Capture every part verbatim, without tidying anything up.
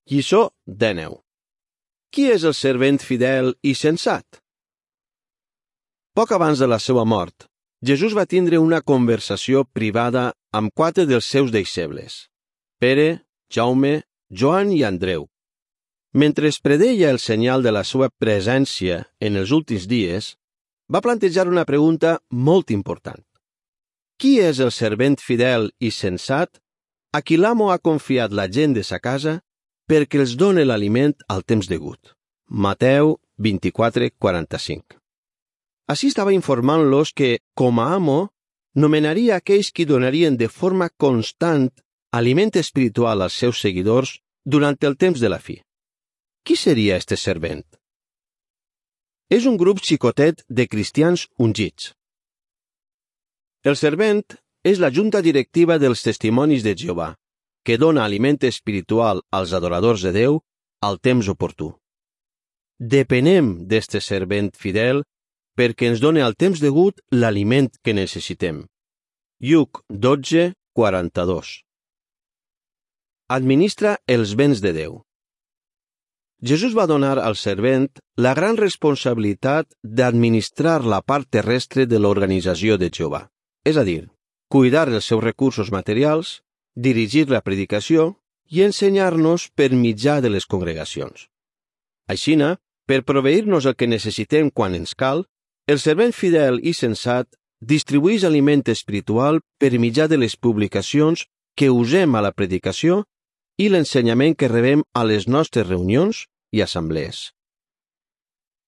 Lliçó dèneu. Qui és el servent fidel i sensat? Poc abans de la seva mort, Jesús va tindre una conversació privada amb quatre dels seus deixebles, Pere, Jaume, Joan i Andreu. Mentre es predeia el senyal de la seva presència en els últims dies, va plantejar una pregunta molt important. Qui és el servent fidel i sensat a qui l'amo ha confiat la gent de sa casa perquè els done l'aliment al temps degut? Mateu vint-i-quatre quaranta-cinc. Així estava informant-los que, com a amo, nomenaria aquells qui donarien de forma constant aliment espiritual als seus seguidors durant el temps de la fi. Qui seria este servent? És un grup xicotet de cristians ungits. El servent és la junta directiva dels testimonis de Jehovà, que dona aliment espiritual als adoradors de Déu al temps oportú. Depenem d'este servent fidel perquè ens done al temps degut l'aliment que necessitem. Lluc dotze quaranta-dos. Administra els béns de Déu. Jesús va donar al servent la gran responsabilitat d'administrar la part terrestre de l'organització de Jehovà, és a dir, cuidar dels seus recursos materials, dirigir la predicació i ensenyar-nos per mitjà de les congregacions. Aixina, per proveir-nos el que necessitem quan ens cal, el servent fidel i sensat distribueix aliment espiritual per mitjà de les publicacions que usem a la predicació i l'ensenyament que rebem a les nostres reunions i assemblees.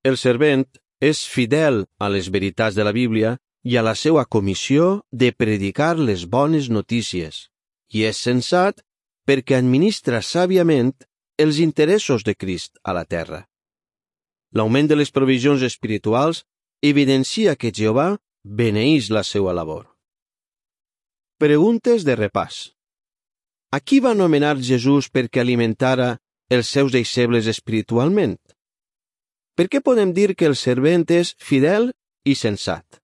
El servent és fidel a les veritats de la Bíblia i a la seva comissió de predicar les bones notícies, i és sensat perquè administra sàviament els interessos de Crist a la terra. L'augment de les provisions espirituals evidencia que Jehovà beneeix la seva labor. Preguntes de repàs. A qui va nomenar Jesús perquè alimentara els seus deixebles espiritualment? Per què podem dir que el servent és fidel i sensat?